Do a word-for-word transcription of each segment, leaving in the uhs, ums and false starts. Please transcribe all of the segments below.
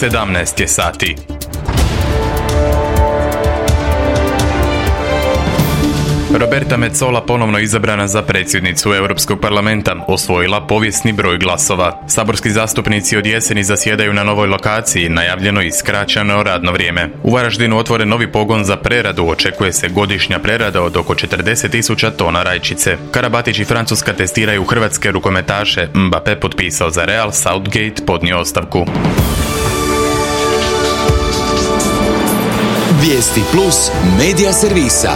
sedamnaest je sati. Roberta Metsola ponovno izabrana za predsjednicu Europskog parlamenta, osvojila povijesni broj glasova. Saborski zastupnici od jeseni zasjedaju na novoj lokaciji, najavljeno i skraćeno radno vrijeme. U Varaždinu otvoren novi pogon za preradu, očekuje se godišnja prerada od oko četrdeset tisuća tona rajčice. Karabatić i Francuska testiraju hrvatske rukometaše, Mbappé potpisao za Real, Southgate podnio ostavku. Vijesti plus medija servisa.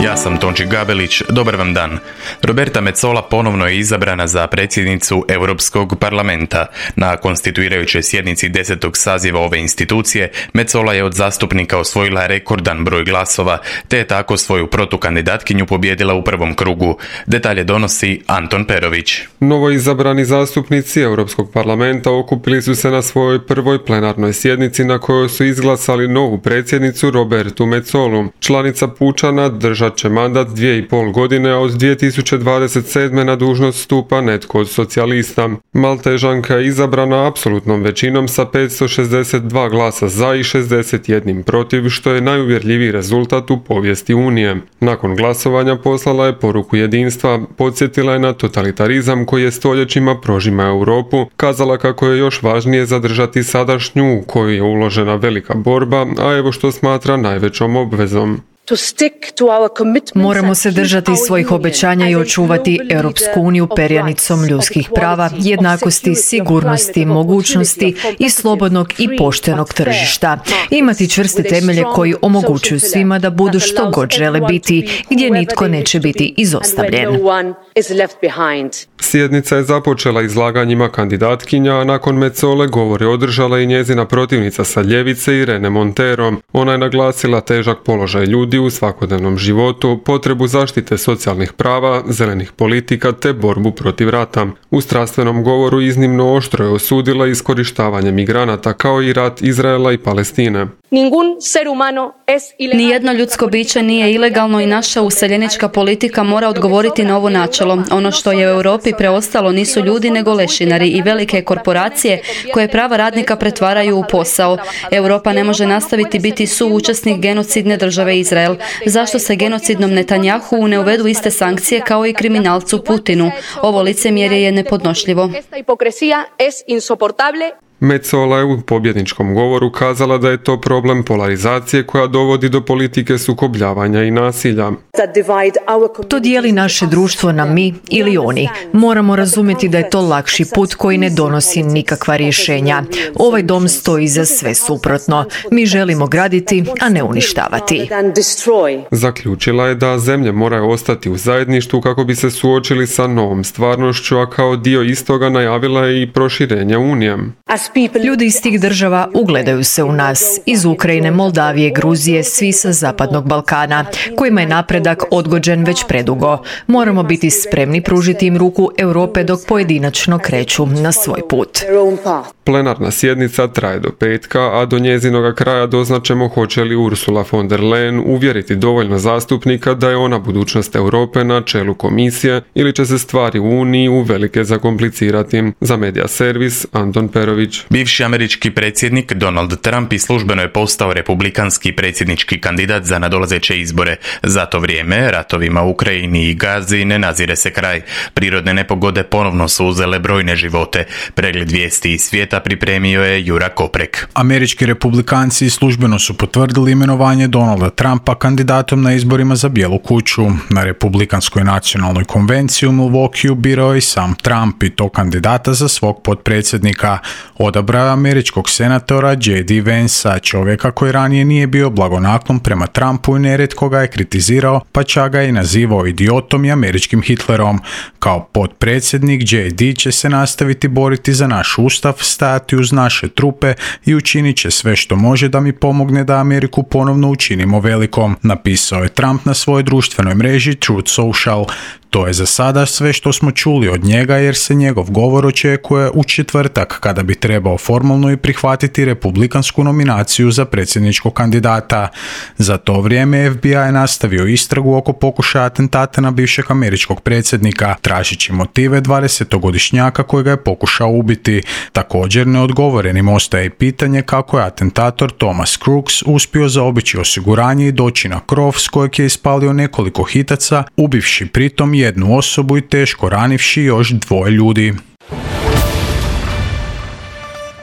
Ja sam Tonči Gabelić, dobar vam dan. Roberta Metsola ponovno je izabrana za predsjednicu Europskog parlamenta. Na konstituirajućoj sjednici desetog saziva ove institucije, Metsola je od zastupnika osvojila rekordan broj glasova, te je tako svoju protukandidatkinju pobijedila u prvom krugu. Detalje donosi Anton Perović. Novo izabrani zastupnici Europskog parlamenta okupili su se na svojoj prvoj plenarnoj sjednici na kojoj su izglasali novu predsjednicu Robertu Metsolu. Članica Pučana držat će mandat dvije i pol godine, a od dvije tisuće dvadeset sedme na dužnost stupa netko od socijalista. Maltežanka je izabrana apsolutnom većinom sa petsto šezdeset dva glasa za i šezdeset jedan protiv, što je najuvjerljiviji rezultat u povijesti Unije. Nakon glasovanja poslala je poruku jedinstva, podsjetila je na totalitarizam koji je stoljećima prožima Europu, kazala kako je još važnije zadržati sadašnju u koju je uložena velika borba, a evo što smatra najvećom obvezom. Moramo se držati svojih obećanja i očuvati Europsku uniju perjanicom ljudskih prava, jednakosti, sigurnosti, mogućnosti i slobodnog i poštenog tržišta. Imati čvrste temelje koji omogućuju svima da budu što god žele biti, gdje nitko neće biti izostavljen. Sjednica je započela izlaganjima kandidatkinja, a nakon Metsole govor je održala i njezina protivnica sa ljevice Irene Montero. Ona je naglasila težak položaj ljudi u svakodnevnom životu, potrebu zaštite socijalnih prava, zelenih politika te borbu protiv rata. U strastvenom govoru iznimno oštro je osudila iskorištavanje migranata kao i rat Izraela i Palestine. Nijedno ljudsko biće nije ilegalno i naša useljenička politika mora odgovoriti na ovo načelo. Ono što je u Europi preostalo nisu ljudi nego lešinari i velike korporacije koje prava radnika pretvaraju u posao. Europa ne može nastaviti biti suučesnik genocidne države Izrael. Zašto se genocidnom Netanjahu ne uvedu iste sankcije kao i kriminalcu Putinu? Ovo licemjerje je nepodnošljivo. Metsola je u pobjedničkom govoru kazala da je to problem polarizacije koja dovodi do politike sukobljavanja i nasilja. To dijeli naše društvo na mi ili oni. Moramo razumjeti da je to lakši put koji ne donosi nikakva rješenja. Ovaj dom stoji za sve suprotno. Mi želimo graditi, a ne uništavati. Zaključila je da zemlje moraju ostati u zajedništvu kako bi se suočili sa novom stvarnošću, a kao dio istoga najavila je i proširenje Unije. Ljudi iz tih država ugledaju se u nas, iz Ukrajine, Moldavije, Gruzije, svi sa Zapadnog Balkana, kojima je napredak odgođen već predugo. Moramo biti spremni pružiti im ruku Europe dok pojedinačno kreću na svoj put. Plenarna sjednica traje do petka, a do njezinoga kraja doznačemo hoće li Ursula von der Leyen uvjeriti dovoljno zastupnika da je ona budućnost Europe na čelu komisije ili će se stvari u Uniji uvelike zakomplicirati. Za Medija servis, Anton Perović. Bivši američki predsjednik Donald Trump i službeno je postao republikanski predsjednički kandidat za nadolazeće izbore. Za to vrijeme ratovima u Ukrajini i Gazi ne nazire se kraj. Prirodne nepogode ponovno su uzele brojne živote. Pregled vijesti iz svijeta pripremio je Jura Koprek. Američki republikanci službeno su potvrdili imenovanje Donalda Trumpa kandidatom na izborima za Bijelu kuću. Na Republikanskoj nacionalnoj konvenciji u Milwaukeeu birao je i sam Trump i to kandidata za svog potpredsjednika. Odabrao američkog senatora J D Vansa, čovjeka koji ranije nije bio blagonaklon prema Trumpu i nerijetko ga je kritizirao, pa čak ga je nazivao idiotom i američkim Hitlerom. Kao potpredsjednik J D će se nastaviti boriti za naš ustav, stajati uz naše trupe i učinit će sve što može da mi pomogne da Ameriku ponovno učinimo velikom, napisao je Trump na svojoj društvenoj mreži Truth Social. To je za sada sve što smo čuli od njega jer se njegov govor očekuje u četvrtak kada bi trebao formalno i prihvatiti republikansku nominaciju za predsjedničkog kandidata. Za to vrijeme F B I je nastavio istragu oko pokušaja atentata na bivšeg američkog predsjednika, tražići motive dvadesetogodišnjaka kojega je pokušao ubiti. Također neodgovorenim ostaje i pitanje kako je atentator Thomas Crooks uspio zaobići osiguranje i doći na krov s kojeg je ispalio nekoliko hitaca, ubivši pritom jednu osobu i teško ranivši još dvoje ljudi.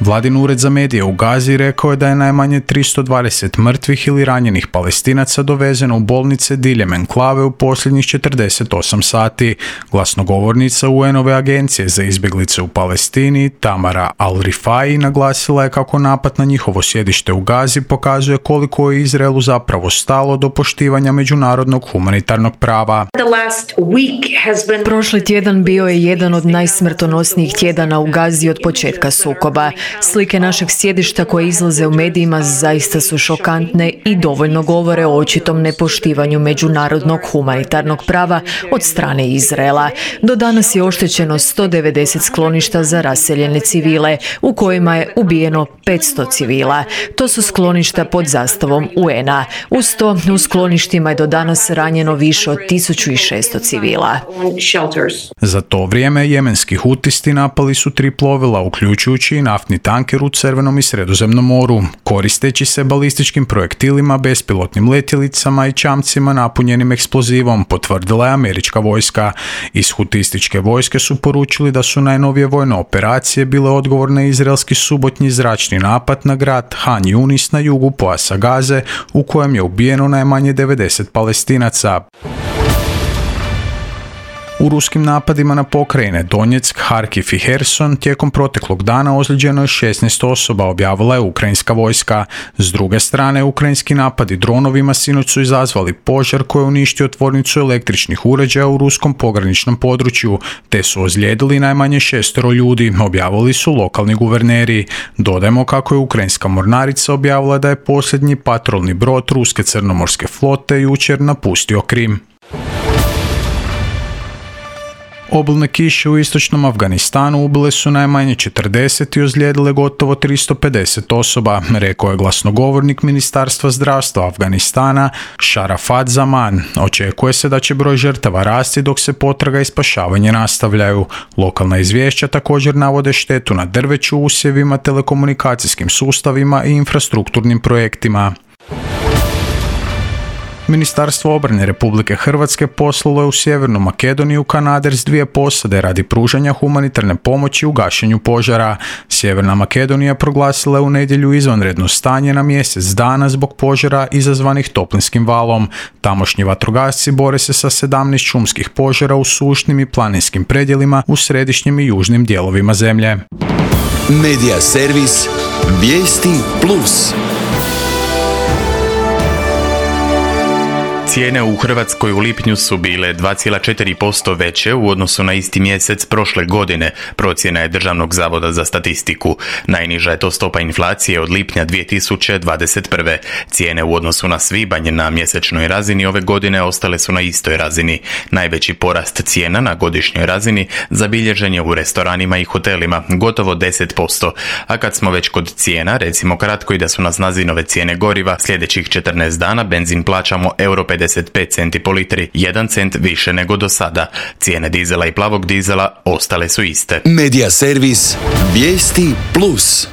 Vladin ured za medije u Gazi rekao je da je najmanje tristo dvadeset mrtvih ili ranjenih Palestinaca dovezeno u bolnice diljem enklave u posljednjih četrdeset osam sati. Glasnogovornica U N-ove agencije za izbjeglice u Palestini, Tamara Al-Rifai, naglasila je kako napad na njihovo sjedište u Gazi pokazuje koliko je Izraelu zapravo stalo do poštivanja međunarodnog humanitarnog prava. Prošli tjedan bio je jedan od najsmrtonosnijih tjedana u Gazi od početka sukoba. Slike našeg sjedišta koje izlaze u medijima zaista su šokantne i dovoljno govore o očitom nepoštivanju međunarodnog humanitarnog prava od strane Izraela. Do danas je oštećeno sto devedeset skloništa za raseljene civile, u kojima je ubijeno petsto civila. To su skloništa pod zastavom U N-a. Uz to, u skloništima je do danas ranjeno više od tisuću šesto civila. Za to vrijeme jemenski hutisti napali su tri plovila, uključujući i naftni tanker u Crvenom i Sredozemnom moru, koristeći se balističkim projektilima, bespilotnim letjelicama i čamcima napunjenim eksplozivom, potvrdila je američka vojska. Iz hutističke vojske su poručili da su najnovije vojne operacije bile odgovor na izraelski subotnji zračni napad na grad Han Yunis na jugu pojasa Gaze, u kojem je ubijeno najmanje devedeset Palestinaca. U ruskim napadima na pokrajine Donjeck, Harkiv i Herson tijekom proteklog dana ozlijeđeno je šesnaest osoba, objavila je ukrajinska vojska. S druge strane, ukrajinski napadi dronovima sinoć su izazvali požar koji je uništio tvornicu električnih uređaja u ruskom pograničnom području, te su ozlijedili najmanje šestero ljudi, objavili su lokalni guverneri. Dodajmo kako je ukrajinska mornarica objavila da je posljednji patrolni brod ruske crnomorske flote jučer napustio Krim. Obilne kiše u istočnom Afganistanu ubile su najmanje četrdeset i ozlijedile gotovo tristo pedeset osoba, rekao je glasnogovornik Ministarstva zdravstva Afganistana Sharafat Zaman. Očekuje se da će broj žrtava rasti dok se potraga i spašavanje nastavljaju. Lokalna izvješća također navode štetu na drveću, usjevima, telekomunikacijskim sustavima i infrastrukturnim projektima. Ministarstvo obrane Republike Hrvatske poslalo je u Sjevernu Makedoniju kanader s dvije posade radi pružanja humanitarne pomoći u gašenju požara. Sjeverna Makedonija proglasila je u nedjelju izvanredno stanje na mjesec dana zbog požara izazvanih toplinskim valom. Tamošnji vatrogasci bore se sa sedamnaest šumskih požara u sušnim i planinskim predjelima u središnjim i južnim dijelovima zemlje. Medija servis Vijesti Plus. Cijene u Hrvatskoj u lipnju su bile dva zarez četiri posto veće u odnosu na isti mjesec prošle godine, procjena je Državnog zavoda za statistiku. Najniža je to stopa inflacije od lipnja dvije tisuće dvadeset prve. Cijene u odnosu na svibanj na mjesečnoj razini ove godine ostale su na istoj razini. Najveći porast cijena na godišnjoj razini zabilježen je u restoranima i hotelima, gotovo deset posto. A kad smo već kod cijena, recimo kratko i da su na snazi nove cijene goriva, sljedećih četrnaest dana benzin plaćamo euro pedeset pet centi po litri, jedan cent više nego do sada. Cijene dizela i plavog dizela ostale su iste. Medija servis Vijesti Plus.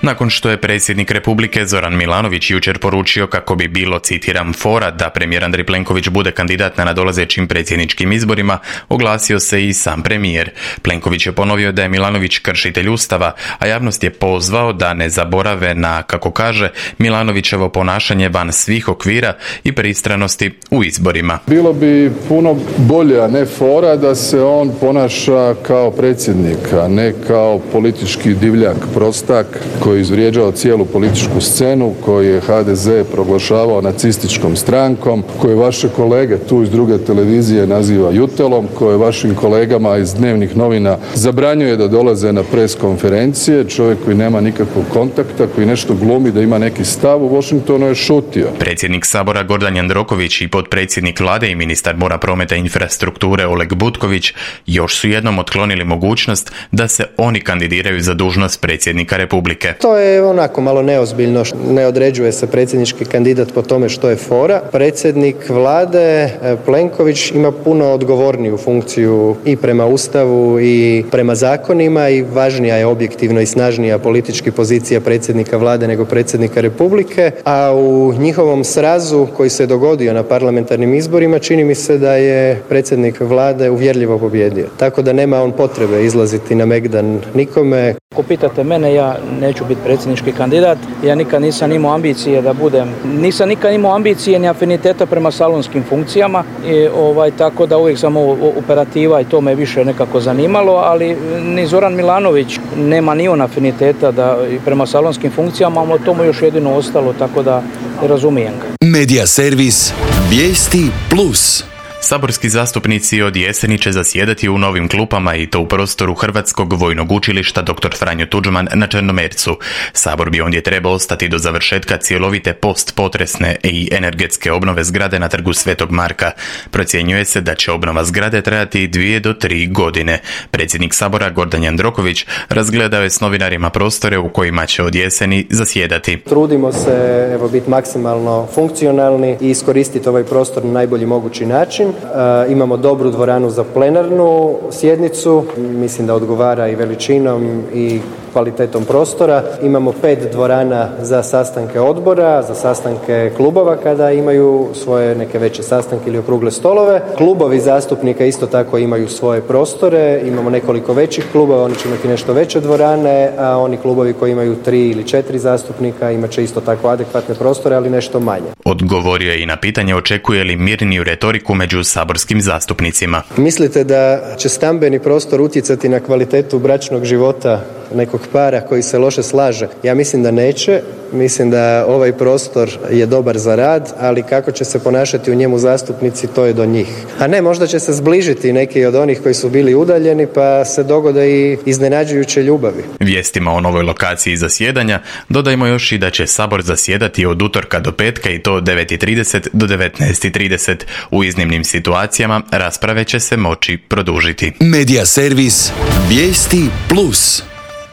Nakon što je predsjednik Republike Zoran Milanović jučer poručio kako bi bilo, citiram, fora da premijer Andrej Plenković bude kandidat na nadolazećim predsjedničkim izborima, oglasio se i sam premijer. Plenković je ponovio da je Milanović kršitelj Ustava, a javnost je pozvao da ne zaborave na, kako kaže, Milanovićevo ponašanje van svih okvira i pristranosti u izborima. Bilo bi puno bolje, a ne fora, da se on ponaša kao predsjednik, a ne kao politički divljak, prostak koji koji je izvrijeđao cijelu političku scenu, koji je ha de ze proglašavao nacističkom strankom, koji vaše kolege tu iz druge televizije naziva jutelom, koje vašim kolegama iz dnevnih novina zabranjuje da dolaze na pres konferencije, čovjek koji nema nikakvog kontakta, koji nešto glumi da ima neki stav, u Washingtonu je šutio. Predsjednik Sabora Gordan Jandroković i potpredsjednik vlade i ministar mora, prometa i infrastrukture Oleg Butković još su jednom otklonili mogućnost da se oni kandidiraju za dužnost predsjednika Republike. To je onako malo neozbiljno, ne određuje se predsjednički kandidat po tome što je fora. Predsjednik vlade Plenković ima puno odgovorniju funkciju i prema Ustavu i prema zakonima i važnija je objektivno i snažnija politički pozicija predsjednika vlade nego predsjednika Republike, a u njihovom srazu koji se dogodio na parlamentarnim izborima čini mi se da je predsjednik vlade uvjerljivo pobjedio. Tako da nema on potrebe izlaziti na megdan nikome. Ako pitate mene, ja neću biti predsjednički kandidat. Ja nikad nisam imao ambicije da budem, nisam nikad imao ambicije ni afiniteta prema salonskim funkcijama. I, ovaj, tako da uvijek sam operativa i to me više nekako zanimalo, ali ni Zoran Milanović nema ni on afiniteta da, prema salonskim funkcijama, ali to mu još jedino ostalo, tako da razumijem ga. Medija servis Vijesti plus. Saborski zastupnici od jeseni će zasjedati u novim klupama i to u prostoru Hrvatskog vojnog učilišta doktor Franjo Tuđman na Črnomercu. Sabor bi ondje trebao ostati do završetka cjelovite postpotresne i energetske obnove zgrade na Trgu Svetog Marka. Procjenjuje se da će obnova zgrade trajati dvije do tri godine. Predsjednik Sabora Gordan Jandroković razgledao je s novinarima prostore u kojima će od jeseni zasjedati. Trudimo se evo biti maksimalno funkcionalni i iskoristiti ovaj prostor na najbolji mogući način. E, imamo dobru dvoranu za plenarnu sjednicu, mislim da odgovara i veličinom i kvalitetom prostora. Imamo pet dvorana za sastanke odbora, za sastanke klubova kada imaju svoje neke veće sastanke ili okrugle stolove. Klubovi zastupnika isto tako imaju svoje prostore, imamo nekoliko većih klubova, oni će imati nešto veće dvorane, a oni klubovi koji imaju tri ili četiri zastupnika imat će isto tako adekvatne prostore, ali nešto manje. Odgovorio je i na pitanje očekuje li mirniju retoriku među saborskim zastupnicima. Mislite da će stambeni prostor utjecati na kvalitetu bračnog života nekog para koji se loše slaže? Ja mislim da neće. Mislim da ovaj prostor je dobar za rad, ali kako će se ponašati u njemu zastupnici, to je do njih. A ne, možda će se zbližiti neki od onih koji su bili udaljeni, pa se dogode i iznenađujuće ljubavi. Vijestima o novoj lokaciji zasjedanja dodajmo još i da će Sabor zasjedati od utorka do petka i to od devet i trideset do devetnaest i trideset. U iznimnim situacijama rasprave će se moći produžiti. Medija servis Vijesti plus.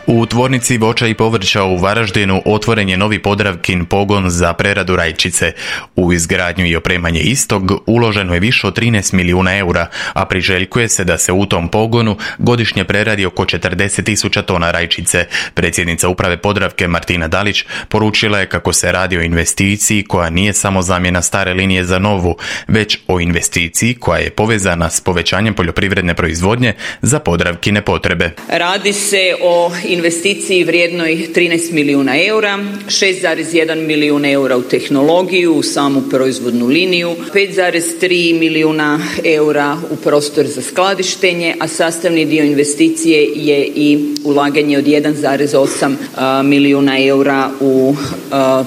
U tvornici voća i povrća u Varaždinu otvoren je novi Podravkin pogon za preradu rajčice. U izgradnju i opremanje istog uloženo je više od trinaest milijuna eura, a priželjkuje se da se u tom pogonu godišnje preradi oko četrdeset tisuća tona rajčice. Predsjednica uprave Podravke Martina Dalić poručila je kako se radi o investiciji koja nije samo zamjena stare linije za novu, već o investiciji koja je povezana s povećanjem poljoprivredne proizvodnje za Podravkine potrebe. Radi se o investiciji vrijednoj trinaest milijuna eura, šest zarez jedan milijun eura u tehnologiju, u samu proizvodnu liniju, pet zarez tri milijuna eura u prostor za skladištenje, a sastavni dio investicije je i ulaganje od jedan zarez osam milijuna eura u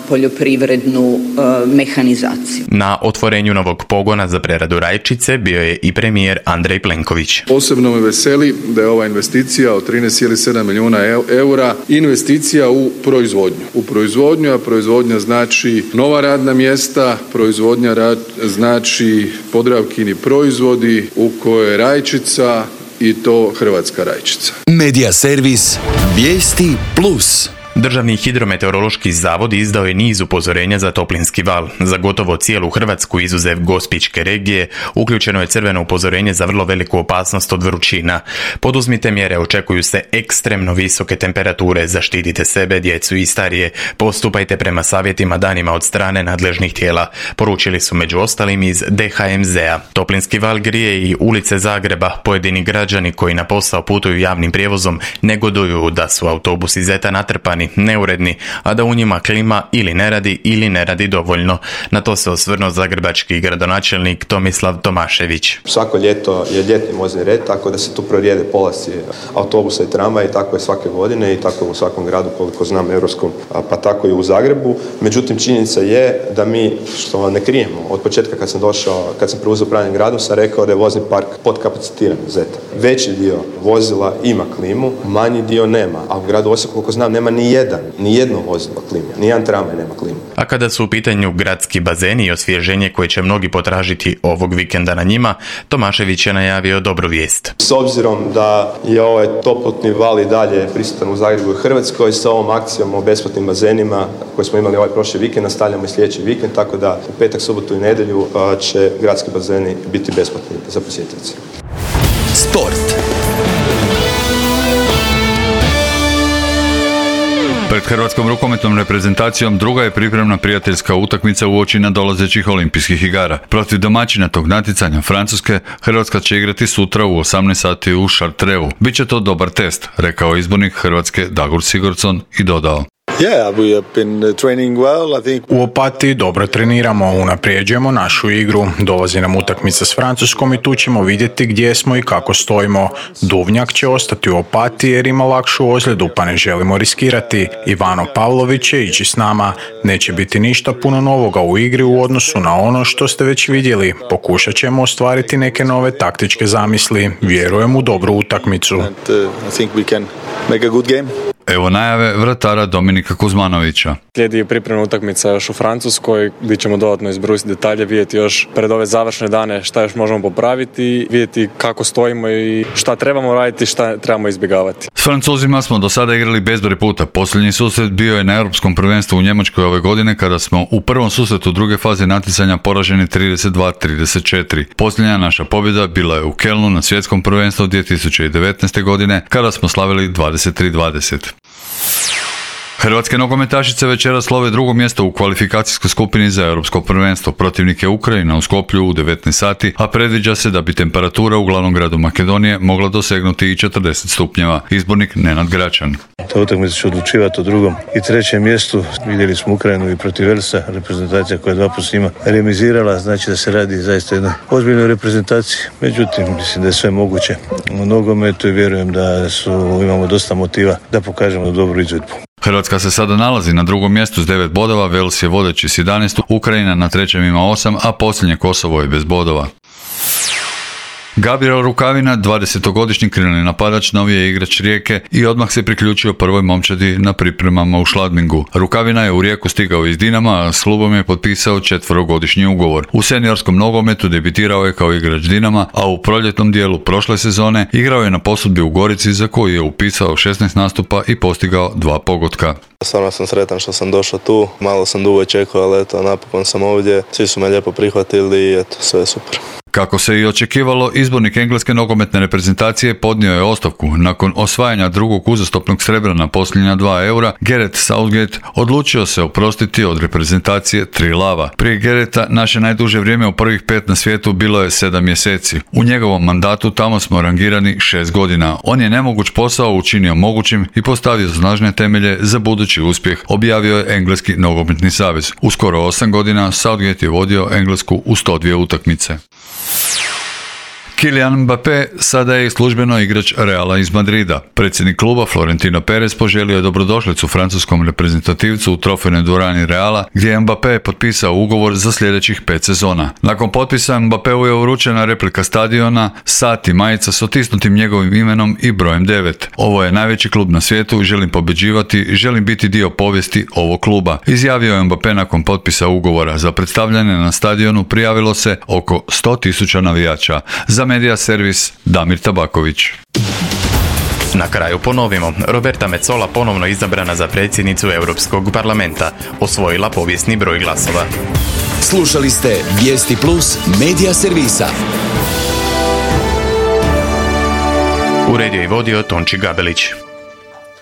poljoprivrednu mehanizaciju. Na otvorenju novog pogona za preradu rajčice bio je i premijer Andrej Plenković. Posebno me veseli da je ova investicija od trinaest zarez sedam milijuna eura investicija u proizvodnju. U proizvodnju, a proizvodnja znači nova radna mjesta, proizvodnja rad, znači Podravkini proizvodi u kojoj je rajčica i to hrvatska rajčica. Medija servis Vijesti plus. Državni hidrometeorološki zavod izdao je niz upozorenja za toplinski val. Za gotovo cijelu Hrvatsku, izuzev Gospićke regije, uključeno je crveno upozorenje za vrlo veliku opasnost od vrućina. Poduzmite mjere, očekuju se ekstremno visoke temperature, zaštitite sebe, djecu i starije, postupajte prema savjetima danima od strane nadležnih tijela, poručili su među ostalim iz de ha em zea. Toplinski val grije i ulice Zagreba. Pojedini građani koji na posao putuju javnim prijevozom negoduju da su autobusi Zeta natrpani, nepravilni, neuredni, a da u njima klima ili ne radi ili ne radi dovoljno. Na to se osvrnuo zagrebački gradonačelnik Tomislav Tomašević. Svako ljeto je ljetni vozni red, tako da se tu prorijede polasci autobusa i tramvaja i tako je svake godine i tako je u svakom gradu koliko znam europskom, pa tako i u Zagrebu. Međutim, činjenica je da mi, što ne krijemo, od početka kad sam došao, kad sam preuzeo upravljanje gradom, sam rekao da je vozni park podkapacitiran. Zeta. Veći dio vozila ima klimu, manji dio nema, a u gradu Osijeku, koliko znam, nema ni jedan, ni jedno vozilo klime, ni jedan tramvaj nema klimu. A kada su u pitanju gradski bazeni i osvježenje koje će mnogi potražiti ovog vikenda na njima, Tomašević je najavio dobru vijest. S obzirom da je ovaj toplotni val i dalje prisutan u Zagrebu i Hrvatskoj, sa ovom akcijom o besplatnim bazenima koje smo imali ovaj prošli vikend, nastavljamo i sljedeći vikend, tako da u petak, subotu i nedjelju će gradski bazeni biti besplatni za posjetitelje. Sport. Pred hrvatskom rukometnom reprezentacijom druga je pripremna prijateljska utakmica uoči nadolazećih olimpijskih igara. Protiv domaćina tog natjecanja Francuske, Hrvatska će igrati sutra u osamnaest sati u Chartreu. Biće to dobar test, rekao izbornik Hrvatske Dagur Sigurdsson i dodao. Yeah, we have been training well, I think. U Opatiji dobro treniramo, unaprijeđujemo našu igru. Dolazi nam utakmica s Francuskom i tu ćemo vidjeti gdje smo i kako stojimo. Duvnjak će ostati u Opatiji jer ima lakšu ozljedu, pa ne želimo riskirati. Ivano Pavlović će ići s nama. Neće biti ništa puno novoga u igri u odnosu na ono što ste već vidjeli. Pokušat ćemo ostvariti neke nove taktičke zamisli. Vjerujem u dobru utakmicu. And, uh, I think we can make a good game. Evo najave vratara Dominika Kuzmanovića. Slijedi pripremna utakmica još u Francuskoj, gdje ćemo dodatno izbrusiti detalje, vidjeti još pred ove završne dane šta još možemo popraviti, vidjeti kako stojimo i šta trebamo raditi, šta trebamo izbjegavati. S Francuzima smo do sada igrali bezbroj puta. Posljednji susret bio je na Europskom prvenstvu u Njemačkoj ove godine kada smo u prvom susretu druge faze natjecanja poraženi trideset dva trideset četiri. Posljednja naša pobjeda bila je u Kelnu na svjetskom prvenstvu dvije tisuće devetnaeste. godine kada smo slavili dvadeset tri dvadeset. Hrvatske nogometašice večeras slove drugo mjesto u kvalifikacijskoj skupini za europsko prvenstvo. Protivnik je Ukrajina u Skoplju u devetnaest sati, a predviđa se da bi temperatura u glavnom gradu Makedonije mogla dosegnuti i četrdeset stupnjeva. Izbornik Nenad Gračan. Ta utakmica će odlučivati o drugom i trećem mjestu. Vidjeli smo Ukrajinu i protiv Velsa, reprezentacija koja je dva puta s njima remizirala, znači da se radi zaista jednoj ozbiljnoj reprezentaciji. Međutim, mislim da je sve moguće u nogometu i vjerujem da su, imamo dosta motiva da pokažemo dobru izvedbu. Hrvatska se sada nalazi na drugom mjestu s devet bodova, Vels je vodeći s jedanaest, Ukrajina na trećem ima osam, a posljednje Kosovo je bez bodova. Gabriel Rukavina, dvadesetogodišnji krilni napadač, novi je igrač Rijeke i odmah se priključio prvoj momčadi na pripremama u Šladmingu. Rukavina je u Rijeku stigao iz Dinama, a s klubom je potpisao četverogodišnji ugovor. U seniorskom nogometu debitirao je kao igrač Dinama, a u proljetnom dijelu prošle sezone igrao je na posudbi u Gorici za koju je upisao šesnaest nastupa i postigao dva pogotka. Stvarno sam sretan što sam došao tu, malo sam dugo čekao, ali eto, napokon sam ovdje, svi su me lijepo prihvatili i eto, sve je super. Kako se i očekivalo, izbornik engleske nogometne reprezentacije podnio je ostavku. Nakon osvajanja drugog uzastopnog srebra na posljednja dva eura, Gareth Southgate odlučio se oprostiti od reprezentacije tri lava. Prije Gareta naše najduže vrijeme u prvih pet na svijetu bilo je sedam mjeseci. U njegovom mandatu tamo smo rangirani šest godina. On je nemoguć posao učinio mogućim i postavio snažne temelje za budući uspjeh, objavio je Engleski nogometni savez. U skoro osam godina Southgate je vodio Englesku u sto dvije utakmice. Kylian Mbappé sada je službeno igrač Reala iz Madrida. Predsjednik kluba Florentino Perez poželio je dobrodošlicu francuskom reprezentativcu u trofejnoj dvorani Reala, gdje je Mbappé potpisao ugovor za sljedećih pet sezona. Nakon potpisa Mbappéu je uručena replika stadiona, sat i majica s otisnutim njegovim imenom i brojem devet. Ovo je najveći klub na svijetu, želim pobjeđivati, želim biti dio povijesti ovog kluba. Izjavio je Mbappé nakon potpisa ugovora. Za predstavljanje na stadionu prijavilo se oko sto tisuća navijača. Za Medija servis Damir Tabaković. Na kraju ponovimo, Roberta Metsola ponovno izabrana za predsjednicu Europskog parlamenta, osvojila povijesni broj glasova. Slušali ste Vijesti Plus Medija servisa. Uredio i vodio Tonči Gabelić.